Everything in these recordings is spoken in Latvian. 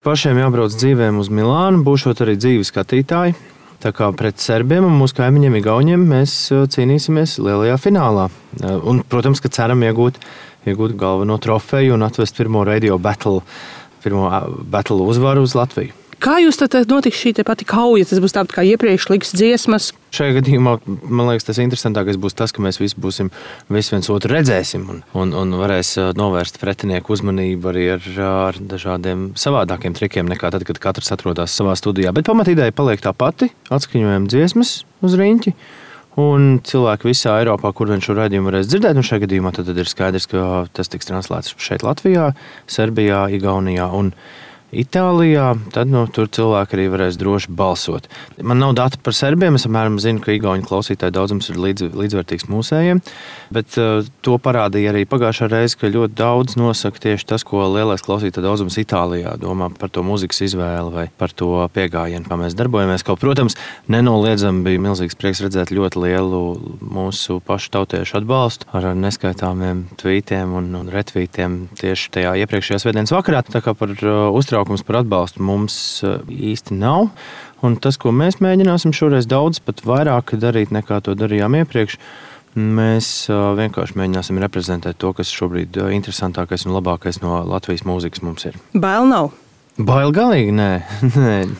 Pašiem jābrauc dzīvēm uz Milānu, būšot arī dzīvi skatītāji. Tā kā pret serbiem un mūsu kaimiņiem Igauniem mēs cīnīsimies lielajā finālā. Un, protams, ka ceram iegūt galveno trofeju un atvest pirmo radio battle uzvaru uz Latviju. Kā jūs tad notiks šī pati kauja? Tas būs tāpat kā iepriekš liks dziesmas? Šajā gadījumā, man liekas, tas interesantākais būs tas, ka mēs visi viens otru redzēsim un varēs novērst pretinieku uzmanību arī ar dažādiem savādākiem trikiem nekā tad, kad katrs atrodas savā studijā. Bet pamatīdēja paliek tā pati, atskaņojam dziesmas uz riņķi. Un cilvēki visā Eiropā, kur vien šo raidījumu varēs dzirdēt, un šajā gadījumā tad ir skaidrs, ka tas tiks translēts šeit Latvijā, Serbijā, Igaunijā un Itālijā, tad tur cilvēki arī varēs droši balsot. Man nav dati par serbiem, es apmēram zinu, ka igauņu klausītāju daudzums ir līdzvērtīgs mūsējiem, bet to parādīja arī pagājušā reize, ka ļoti daudz nosaka tieši tas, ko lielais klausītāju daudzums Itālijā domā par to mūzikas izvēli vai par to piegājienu, kā mēs darbojamies. Kaut, protams, nenoliedzami bija milzīgs prieks redzēt ļoti lielu mūsu pašu tautiešu atbalstu ar neskaitāmiem tvītiem un retvītiem tieši tajā iepriekšējā svētdienas vakarā. Tā kā par uztraukums par atbalstu mums īsti nav. Un tas, ko mēs mēģināsim šoreiz daudz pat vairāk darīt nekā to darījām iepriekš, mēs vienkārši mēģināsim reprezentēt to, kas šobrīd interesantākais un labākais no Latvijas mūzikas mums ir. Bail nav? Bail galīgi nē.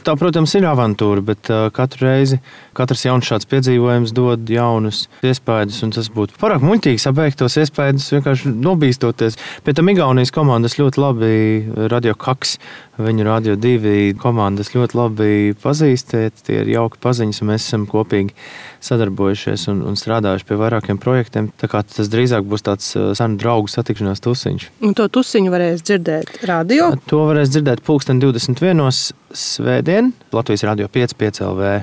Tā, protams, ir avantūra, bet katru reizi katrs jauns šāds piedzīvojums dod jaunus iespaidus, un tas būtu pārāk muļķīgi sabeigt tos iespaidus vienkārši nobīstoties. Pie tam Igaunijas komandas ļoti labi Radio Kaks, viņu Radio 2 komandas ļoti labi pazīst, tie ir jauki paziņas, un mēs esam kopīgi sadarbojušies un strādājuši pie vairākiem projektiem. Tā kā tas drīzāk būs tāds senu draugu satikšanās tusiņš. Un to tusiņu varēs dzirdēt radio? To varēs dzirdēt 21. svētdien Latvijas Radio 5 LV.